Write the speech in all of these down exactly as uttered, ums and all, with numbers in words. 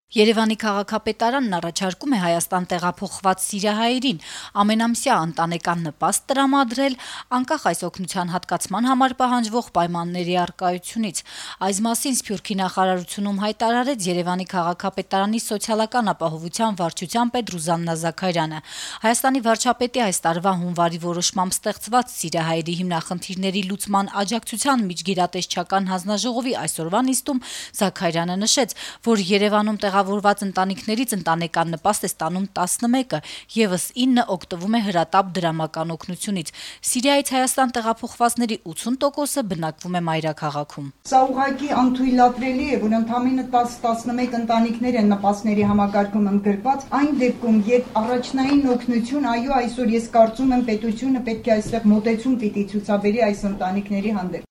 Երևանի քաղաքապետարանն առաջարկում է Հայաստան տեղափոխված սիրիահայերին ամենամսյա ընտանեկան նպաստ տրամադրել անկախ այս օգնության հատկացման համար պահանջվող պայմանների առկայությունից։ Այս մասին Սփյուռքի նախարարությունում հայտարարեց Երևանի քաղաքապետարանի սոցիալական ապահովության վարչության պետ Ռուզաննա Զաքարյանը։ Հայաստանի վարչապետի այս տարվա հունվարի որոշմամբ ստեղծված սիրիահայերի հիմնախնդիրների լուծման աջակցության միջգերատեսչական հանձնաժողովի այսօրվա նիստում Զաքարյանը նշեց, որ Երևանում տեղավորված ընտանիքներից ընտանեկան նպաստ է ստանում տասնմեկը, եւս ինը օգտվում է հրատապ դրամական օգնությունից։ Սիրիայից Հայաստան տեղափոխվածների ութուն տոկոսը բնակվում է մայրաքաղաքում։ Սա ուղղակի անթույլատրելի է, որ ընդամենը տաս տասնմեկ ընտանիքներ են նպաստների համակարգում ընդգրկված, այն դեպքում, երբ առաջնային օգնություն, այո, այսօր ես կարծում եմ պետությունը պետք է այստեղ մոտեցում պիտի ցուցաբերի այս ընտանիքների հանդեպ։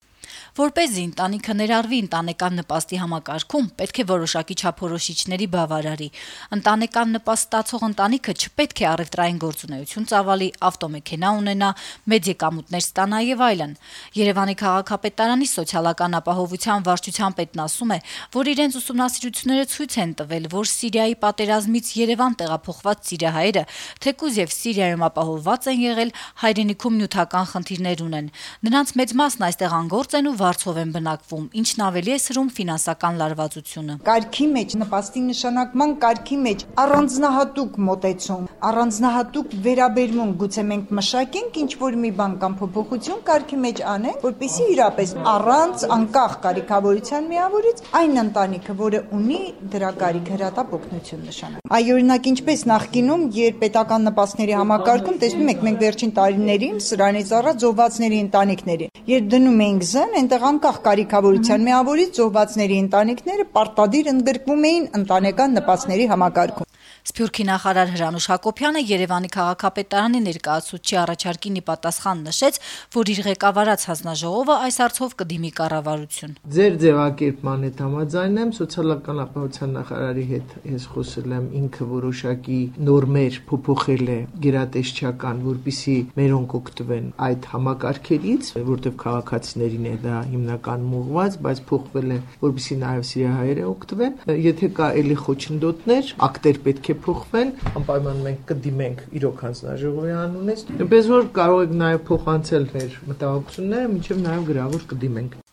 Որպեսզի ընտանիքը ներառվի ընտանեկան նպաստի համակարգում, պետք է որոշակի չափորոշիչների բավարարի։ Ընտանեկան նպաստ ստացող ընտանիքը չպետք է առևտրային գործունեություն ծավալի, ավտոմեքենա ունենա, մեծ եկամուտներ ստանա եւ այլն։ Երևանի քաղաքապետարանի սոցիալական ապահովության վարչության պետն ասում է, որ իրենց ուսումնասիրությունները ցույց են տվել, որ Սիրիայի պատերազմից Երևան տեղափոխված սիրիահայերը, թեկուզ եւ Սիրիայում ապահովված են եղել, հայրենիքում նյութական խնդիրներ ունեն։ Նրանց մեծ մասն այստեղ անգործ են ու վարձով են բնակվում, ինչն ավելի է սրում ֆինանսական լարվածությունը։ Կարգի մեջ նպաստի նշանակման կարգի մեջ առանձնահատուկ մոտեցում, առանձնահատուկ վերաբերմունք, գուցե մենք մշակենք ինչ որ մի բան կամ փոփոխություն կարգի մեջ անենք, որպեսզի իրապես առանց անկախ կարիքավորության միավորից այն ընտանիքը, որը ունի դրա կարիք հրատապ օգնություն նշանակի։ Այ օրինակ ինչպես նախկինում, երբ պետական նպաստների համակարգում տեսնում եք մենք վերջին տարիներին սրանից առած զոհվածների ընտանիքների, երբ դնում ենք զեն, այնտեղ անկախ կարիքավորության միավորից զոհվածների ընտանիքները պարտադիր ընդգրկվում էին ընտանեկան նպաստների համակարգում։ Սփյուռքի նախարար Հրանուշ Հակոբյանը Երևանի քաղաքապետարանի ներկայացուցչի առաջարկին ի պատասխան նշեց, որ իր ղեկավարած հանձնաժողովը այս հարցով կդիմի կառավարություն։ Ձեր ձևակերպման հետ համաձայն եմ, սոցիալական ապահովության նախարարի հետ ես խոսել եմ, ինքը որոշակի նորմեր փոփոխել է գերատեսչական, որպեսզի մերոնք օգտվեն այդ համակարգերից, որտեղ քաղաքացիներին է դա հիմնականում ուղղված, բայց փոխվել է, որպեսզի նաև սիրիահայերը օգտվեն։ Եթե կա էլի խոչընդոտներ, ակտեր պետք է փոխվեն, անպայման մենք կդիմենք իրոք հանձնաժողովի անունից, այնպես որ կարող եք նաև փոխանցել մեր մտահոգությունները, մինչև նաև գրավոր կդիմենք։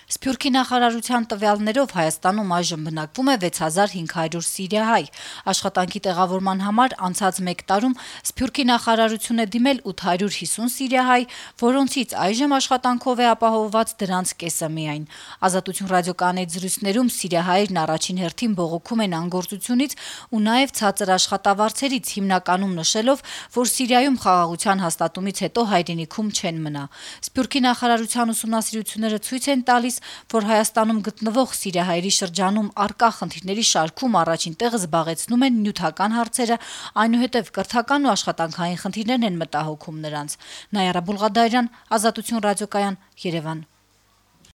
Սփյուռքի նախարարության տվյալներով Հայաստանում այժմ բնակվում է վեց հազար հինգ հարյուր սիրիահայ։ Աշխատանքի տեղավորման համար անցած մեկ տարում Սփյուռքի նախարարություն է դիմել ութ հարյուր հիսուն սիրիահայ, որոնցից այժմ աշխատանքով է ապահովված դրանց կեսը միայն։ Ազատություն ռադիոկայանի զրույցներում սիրիահայերն առաջին հերթին բողոքում են անգործությունից ու նաև ցածր աշխատավարձերից, հիմնականում նշելով, որ Սիրիայում խաղաղության հաստատումից հետո հայրենիքում չեն մնա։ Սփյուռքի նախարարության ուսումնասիրությունները ցույց են տալիս, որ Հայաստանում գտնվող սիրիահայերի շրջանում առկա խնդիրների շարքում առաջին տեղը զբաղեցնում են նյութական հարցերը, այնուհետև կրթական ու աշխատանքային խնդիրներն են մտահոգում նրանց։ Նայարա Բուլղադարյան, Ազատություն ռադիոկայան, Երևան։